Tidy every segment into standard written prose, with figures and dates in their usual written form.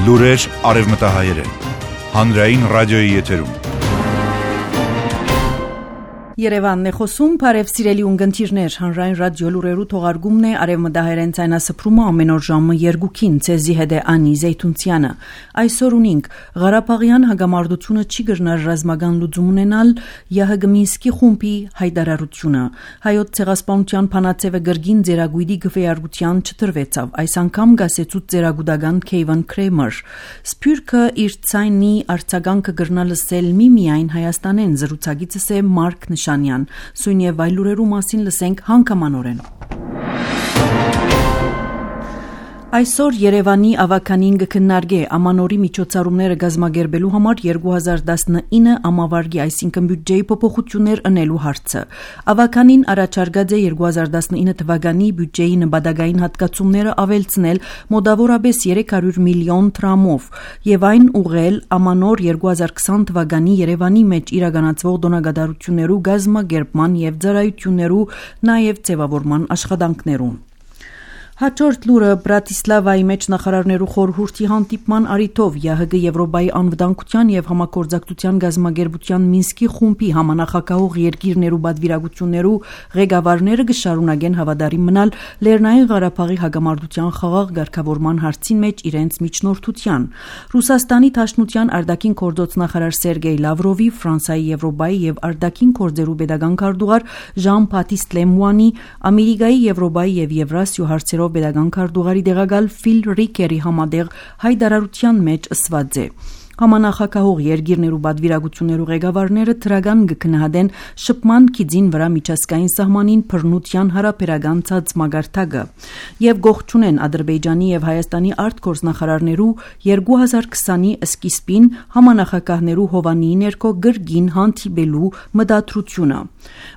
Լուրեր արևմտահայերեն, հանրային ռադիոյի եթերում։ Երևանն է խոսում, բարև սիրելի ունգընտիրներ, հանրային ռադիո լուրերու թողարկումն է արևմտահայերեն ցայնասփռումը ամեն օր ժամը 2-ին, ցեզի հետ է Անի Զեյթունցյանը։ Այսօր ունենք Ղարաբաղյան հագամարտությունը չի գրնար ռազմական լուծում ունենալ, ԵՀԳ Մինսկի խումբի հայտարարությունը։ Հայոց ցեղասպանության փանացևը գրգին ձերագույդի գվեարգության չտրվեցավ, այս անգամ գասեցուց ձերագուդական Քեյվան Քրեմեր։ Սփյուռքը իր ցայնի արձագանքը գրնալ լսել միմիայն Հայաստանեն, զրուցակիցս է Մարկ Նշանյան, սույն եւ այլ լուրերու մասին լսենք հանգամանորեն։ Այսօր Երևանի ավականին կքննարկե ամանորի միջոցառումները գազմագերբելու համար 2019 ամավարգի, այսինքն բյուջեի փոփոխություններ ընելու հարցը։ Ավականին առաջարկած է 2019 թվականի բյուջեի նպատակային հատկացումները ավելցնել մոտավորապես 300 միլիոն դրամով եւ այն ուղղել ամանոր 2020 թվականի Երևանի մեջ իրականացվող դոնագադարություններու գազմագերբման եւ ծառայություններու նաեւ ձևավորման աշխատանքներուն։ Հաջորդ լուրը Բրատիսլավայի մեջ նախարարներու խորհրդի հանդիպման առիթով ԵՀԳ Եվրոպայի անվտանգության եւ համագործակցության գազագերբության Մինսկի խումբի համանախագահող երկիրներու պատվիրակություններու ղեկավարները կշարունակեն հավատարիմ մնալ Լեռնային Ղարաբաղի հագամարտության խաղաղ ղեկավարման հարցին մեջ իրենց միջնորդության։ Ռուսաստանի Դաշնության արտաքին գործոց նախարար Սերգեյ Լավրովի, Ֆրանսիայի Եվրոպայի եւ արտաքին գործերու պետական քարտուղար Ժան-Բատիստ Լեմուանի, Ամերիկայի, Եվրոպայի եւ Եվրասիա հարցերով պետական քարտուղարի դեղակալ Ֆիլ Ռիկերի համատեղ հայտարարության մեջ ասված է. Համանախագահող երկիրներու պատվիրակություններու ղեկավարները դրական կքննադեն շփման քիծին վրա միջազգային սահմանին բռնության հարաբերական ցածմագարտակը եւ գողջունեն Ադրբեջանի եւ Հայաստանի արտգործնախարարներու 2020-ի սկիզբին համանախագահներու հովանիի ներքո գրգին հանդիպելու մտադրությունը։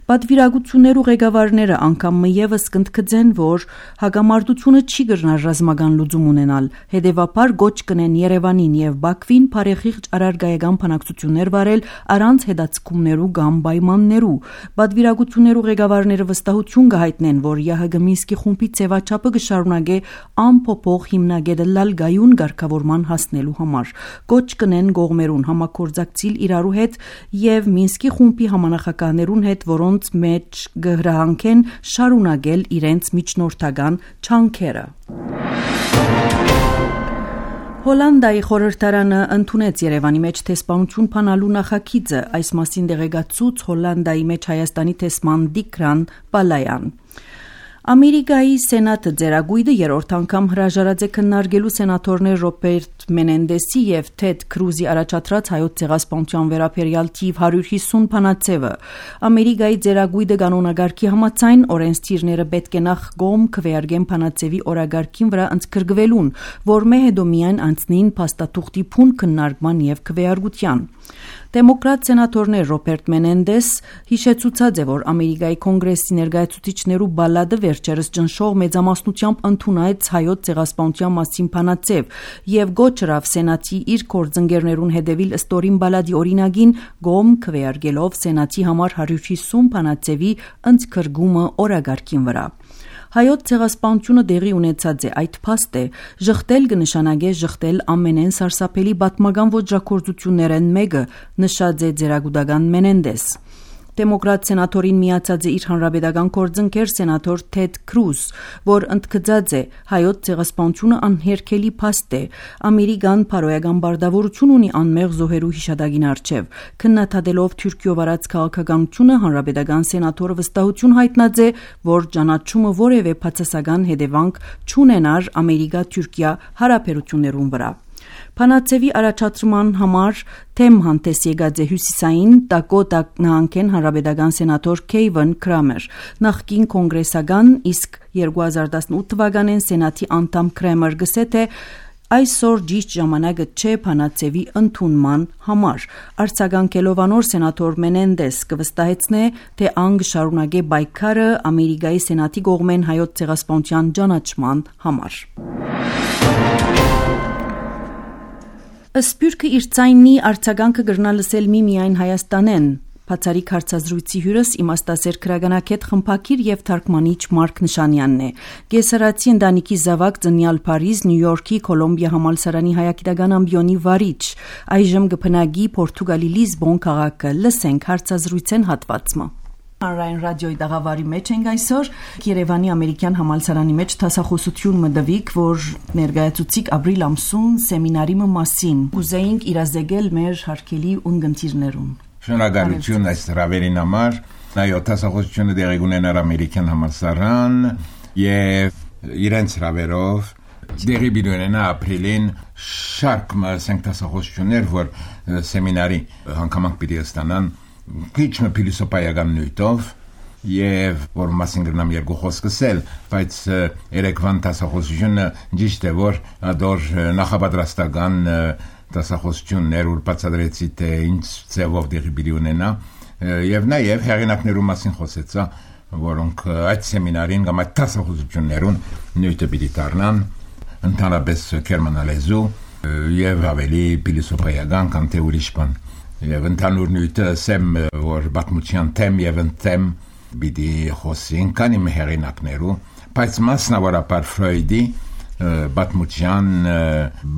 Պատվիրակություններու ղեկավարները անգամ եւս կընդգծեն, որ հագամարտությունը չի գրնար ռազմական լուծում ունենալ, հետեւաբար գոչ կնեն Երևանին եւ Բաքվին Փարեխիղճ արարգայական բանակցություններ վարել առանց հետաձգումներու կամ պայմաններու։ Պատվիրակություններու ղեկավարները վստահություն կհայտնեն, որ ԵՀԳ Մինսկի խումբի ձևաչափը կշարունակե անփոփոխ հիմնագետել գայուն ղեկավարման հասնելու համար։ Գոչ կնեն կողմերուն համագործակցիլ իրարու հետ եւ Մինսկի խումբի համանախագահներուն հետ, որոնց մեջ կհրահանգեն շարունակել իրենց միջնորդական չանքերը։ Հոլանդիայի խորհրդարանը ընդունեց Երևանի մեջ տեսփանություն փանալու նախագիծը, այս մասին դեղեկացուց Հոլանդիայի մեջ Հայաստանի տեսփան Դիկրան Պալայան։ Ամերիկայի Սենատը ձերագույդը երրորդ անգամ հրաժարած է քննարկելու սենատորներ Ռոբերտ Մենենդեսի եւ Թեդ Քրուզի առաջադրած հայոց ցեղասպանության վերաբերյալ թիվ 150 փանացևը։ Ամերիկայի ձերագույդը կանոնագարքի համաձայն օրենսդիրները պետք է նախ գոմ քվեարկեն փանացևի օրագարքին վրա ընդգրկվելուն, որ մեհեդո միայն անցնին փաստաթուղթի փուն քննարկման եւ քվեարկության։ Դեմոկրատ սենատորներ Ռոբերտ Մենենդես հիշեցուցած է, որ Ամերիկայի կոնգրեսի ներկայացուցիչներու բալադը վերջերս ճնշող մեծամասնությամբ ընդունեց հայոց ցեղասպանության մասին փանացև եւ գոչրավ սենատի իր կորձընկերներուն հետևիլ ստորին բալադի օրինագին գոմ քվեարկելով սենատի համար 150 փանացևի ընդգրկումը օրագարքին վրա։ Հայոց ցեղասպանությունը դեղի ունեցած է, այդ փաստ է, ժխտել կնշանակե ժխտել ամենեն սարսափելի պատմական ոճրագործություններեն մեկը, նշած է ձերագուդական Մենենդես։ Դեմոկրատ սենատորին միացած է իր հանրապետական գործընկեր սենատոր Թեդ Քրուզ, որ ընդգծած է հայոց ցեղասպանությունը անհերքելի փաստ է, ամերիկան փարոյական բարդավորություն ունի անմեղ զոհերու հիշադակին առջև։ Քննադատելով Թուրքիո վարած քաղաքականությունը հանրապետական սենատորը վստահություն հայտնած է, որ ճանաչումը որևէ բացասական հետևանք չունենար Ամերիկա-Թուրքիա հարաբերություններուն վրա։ Փանացևի առաջադրման համար թեմ հանդես եկած է հյուսիսային Դակոտա նահանգեն հանրապետական սենատոր Քեյվան Քրեմեր, նախկին կոնգրեսական, իսկ 2018 թվականին սենատի անդամ Քրեմեր գսե թե այսօր ճիշտ ժամանակը չէ փանացևի ընդունման համար։ Արձագանքելով անոր սենատոր Մենենդես կվստահեցնե, թե ան կշարունակե պայքարը Ամերիկայի սենատի կողմեն հայոց ցեղասպանության ճանաչման համար։ Սփյուռքը իր ցայնի արձագանքը գրնա լսել միմիայն Հայաստանեն, Բացարիք հարցազրույցի հյուրս իմաստասեր քրագանակետ խմբակիր եւ թարգմանիչ Մարկ Նշանյանն է։ Գեսարացի ընտանիքի զավակ ծնյալ Փարիզ, Նյու Յորքի Կոլումբիա համալսարանի հայագիտական ամբիոնի վարիչ, այժմ գփնագի Պորտուգալի Լիզբոն քաղաքը։ Լսենք հարցազրույցեն հատվածը։ Հանրային ռադիոյի դաղավարի մեջ ենք այսօր Երևանի ամերիկյան համալսարանի մեջ դասախոսություն մդվիկ, որ ներկայացուցիկ ապրիլ ամսուն սեմինարի մասին ուզեինք իրազեկել մեր հարգելի ունգընտիրներուն։ Շնորհակալություն այս հրավերին համար։ Այո, դասախոսությունը դեղի ունենար ամերիկյան համալսարան եւ իրենց հրավերով դեղի բիդոնենա ապրիլին շարք դասախոսություններ, որ սեմինարի հանգամանք պիտի ստանան քիչ փիլիսոփայական նյութով եւ որ մասին գրնամ երկու խոսք ասել, բայց երեկվան դասախոսությունը ճիշտ է որ ադոր նախապատրաստական դասախոսություններ ու բացատրեցի թե ինչ ձևով դեղի պիտի ունենա եւ նաեւ հեղինակներու մասին խոսեցա, որոնք այդ սեմինարին կամ այդ դասախոսություններուն նյութը պիտի դառնան ընդհանրապես գերմանալեզու եւ ավելի փիլիսոփայական կամ թե ուրիշ բան։ Եվ ընդհանուր նյութը սեմ որ պատմության թեմ եւ ընթեմ բիդի խոսին կանի մեղինակներու, բայց մասնավորապես Ֆրոյդի պատմության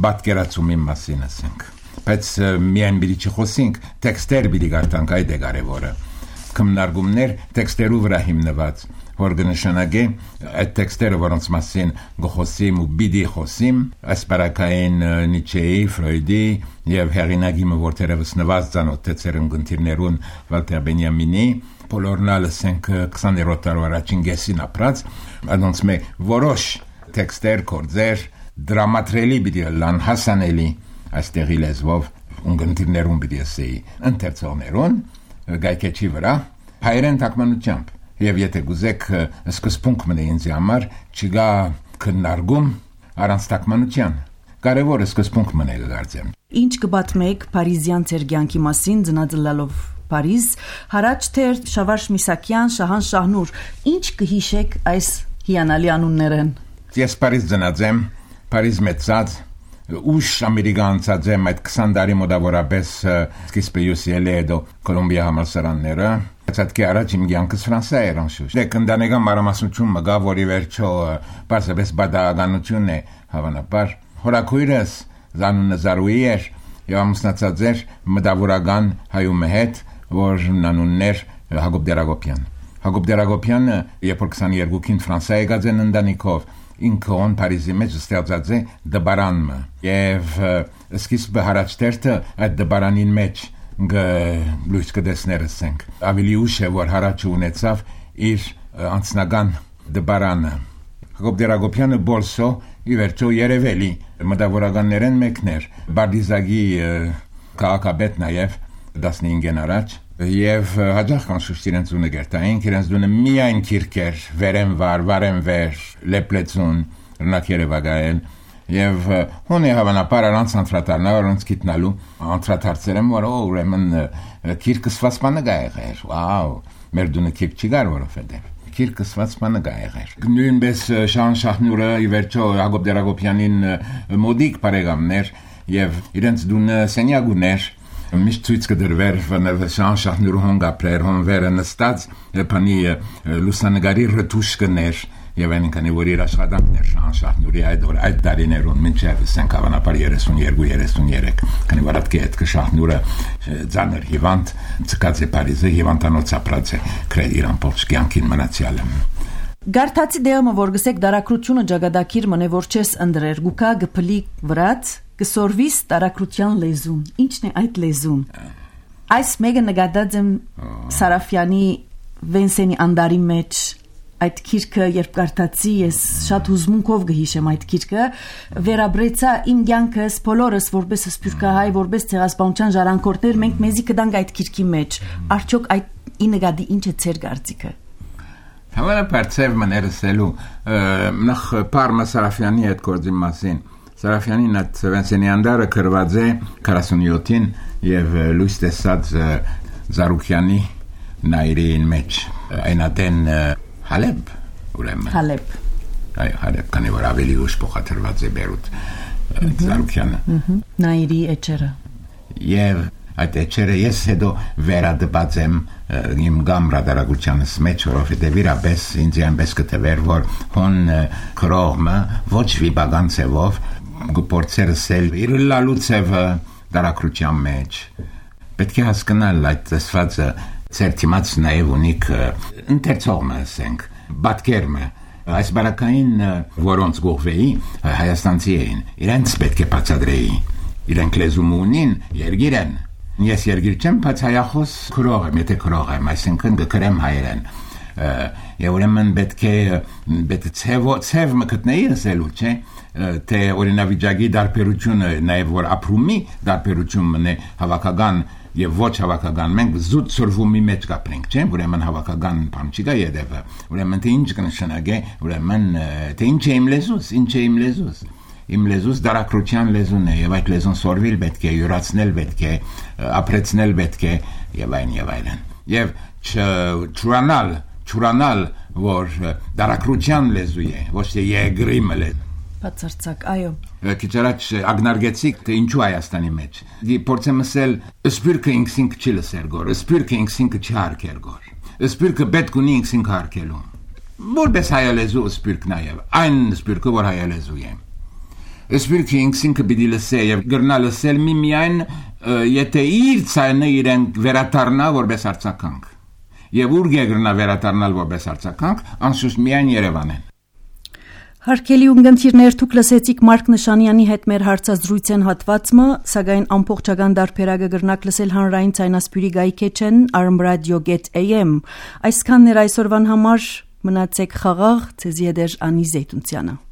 պատկերացումի մասին ասենք։ Բայց միայն բիդի չխոսենք, տեքստեր բիդի գարտանք այդ է կարևորը։ Քննարկումներ տեքստերու վրա հիմնված, որ կնշանակե այդ տեքստերը որոնց մասին գխոսիմ ու բիդի խոսիմ, ասպարակային Նիչեի, Ֆրոյդի եւ հեղինակի որտեղս նված ցանոթեցեր ընկերներուն Վալտեր Բենյամինի, Պոլորնալը 20-րդ դարվա առաջին գեսին ապրած, անոնց մե որոշ տեքստեր կորձեր դրամատրելի բիդի լան հասանելի այստեղի լեզվով ընկերներուն բիդի ասեի ընթերցողներուն գայքեչի վրա հայերեն թարգմանությամբ եւ եթե գուզեք սկզբունք մնա ինձ համար չգա քննարկում առանց թարգմանության կարևորը սկզբունք մնա գարձեմ Ինչ կբատմեք Փարիզյան ցերգյանքի մասին ծնածլալով Փարիզ հարաճ թե Շավարժ Միսակյան Շահան Շահնուր ինչ կհիշեք այս հիանալի անուններն Ես Փարիզ ծնածեմ Փարիզ մեծած ուշ ամերիկանցած եմ այդ 20 տարի մոտավորապես սկիզբը UCLA-դո Կոլումբիա համալսարանները Ցածկի առաջ իմ կյանքս Ֆրանսիա էր անշուշտ։ Դե կնդանեկան մարամասնություն մգա, որի վերջո պարզապես բադականություն է հավանաբար։ Հորաքույրս Զանունը Զարուի էր եւ ամուսնացած էր մտավորական հայու հետ, որ անուններ Հակոբ Դերագոպյան։ Հակոբ Դերագոպյանը երբ 22-ին Ֆրանսիա եկած են ընտանիքով ինքն Փարիզի մեջ ստեղծած է դբարանը եւ սկիզբը հարաճտերտը այդ դբարանին մեջ լույս կդեսներսենք ավելի ուշ է որ հարաճը ունեցավ իր անձնական դբարանը Հակոբ Դերագոպյանը բոլսո ի վերջո երևելի մտավորականներեն մեկներ Բարդիզագի քաղաքապետ նաև 15-ին առաջ եւ հաջող կանշուշտ իրենց ունը գերտային իրենց ունը միայն քիրքեր վերեն վարեն վեր լեպլեցուն ռնակերևագայել Եվ հոնե հավանաբար առանց անդրադառնալ առանց գիտնալու անդրադարձել եմ որ ուրեմն քիրքսված բանը գա եղեր վաու մեր դունը քիրք չի գար որովհետև քիրքսված բանը գա եղեր նույնպես Շահան Շահնուրը ի վերջո Հակոբ Դերագոպյանին մոդիկ բարեկամներ եւ իրենց դունը սենյագուներ միշտ ցույց կդրվեր Շահան Շահնուրը հոնգապրեր հոնվերը նստած բանի լուսանգարի ռտուշկներ Եվ այնքանի որ իր աշխատանքներ Շահան Շահնուրի այդ դարիներուն մինչև ասենք հավանաբար 32-33 քանի որ այդ կետ Շահնուրը ցաներ հիվանդ ցկած է Փարիզը հիվանդանոց ապրած է քրեդ իրան փոքրկյանքին մնացյալը Գարտացի դերումը որ գսեք դարակրությունը ճագադակիր մնե որ չես ընդրեր գուկա գփլի վրաց կսորվիս դարակրության լեզուն ինչն է այդ լեզուն Այս մեկը նկատած եմ Սարաֆյանի Վենսենի անդարի մեջ Այդ քիրքը երբ կարդացի ես շատ հուզմունքով գհիշեմ այդ քիրքը վերաբրեցա իմ կյանքս բոլորս որպես սփյուռքահայ որպես ցեղասպանության ժառանգորդներ մենք մեզի կդանք այդ քիրքի մեջ արդյոք այդ ինգադի ինչ է ցեր գարցիկը Հավանաբար ցև մներսելու նախ Պարմա Սարաֆյանի այդ գործի մասին Սարաֆյանին այդ Վենսենի անդարը գրված է 47-ին եւ լույս տեսած Զարուքյանի նայրին մեջ այնատեն Հալեբ ուրեմն Հալեբ այ Հալեբ կանի որ ավելի ուշ փոխադրված է Բերութ Զարուքյանը Նայրի էջերը եւ այդ էջերը ես հետո վերադպած եմ իմ գամ ռադարագությանս մեջ, որովհետև իրապես ինձ այնպես կտվեր, որ հոն քրողը ոչ վիբական ցևով գործերսել իր լալուցևը դարակրության մեջ պետք է հասկանալ այդ տեսվածը ցերտիմաց նաև ունիկ ընթերցողը ասենք բատկերմը այս բարակային որոնց գողվեի հայաստանցի էին իրենց պետք է բացադրեի իրենք լեզու ունին երգիրեն ես երգիր չեմ բայց հայախոս քրող եմ եթե քրող եմ այսինքն գկրեմ հայերեն եւ ուրեմն պետք է ցև մկտնեի ասելու չէ թե օրինավիճակի դարբերությունը նաև որ ապրումի դարբերությունն է հավաքական եւ ոչ հավաքական մենք զուտ ծրվումի մեջ կապրենք չէ ուրեմն հավաքական բան չի գա յետևը ուրեմն թե ինչ կնշանակե ուրեմն թե ինչ է իմ լեզուս իմ լեզուս դարակրության լեզուն է եւ այդ լեզուն սորվիլ պետք է յուրացնել պետք է ապրեցնել պետք է եւ այլն եւ չուրանալ որ դարակրության լեզու է ոչ թե եգրիմը լեզու բացարձակ այո Քիչարաչ ագնարգեցիկ թե ինչու Հայաստանի մեջ փորձեմ ասել սպիրկը ինքսինք չի լսեր գոր սպիրկը ինքսինք չհարկեր գոր սպիրկը պետք ունի ինքսինք հարկելու որպես հայալեզու սպիրկ նաև այն սպիրկը որ հայալեզու է սպիրկը ինքսինք պիտի լսե եւ գրնա լսել միայն եթե իր ցայնը իրեն վերադառնա որպես արձագանք եւ ուր գրնա վերադառնալ որպես արձագանք անշուշտ միայն Երևանն Հարկելի ունգընթիրներ դուք լսեցիք Մարկ Նշանյանի հետ մեր հարցազրույցեն հատվածը, սակայն ամբողջական դարբերակը գրնակ լսել հանրային ցայնասպյուրի գայքեչեն armradio.am Այսքանն էր այսօրվան համար մնացեք խաղաղ ցեզի դեր Անի Զեյթունցյանը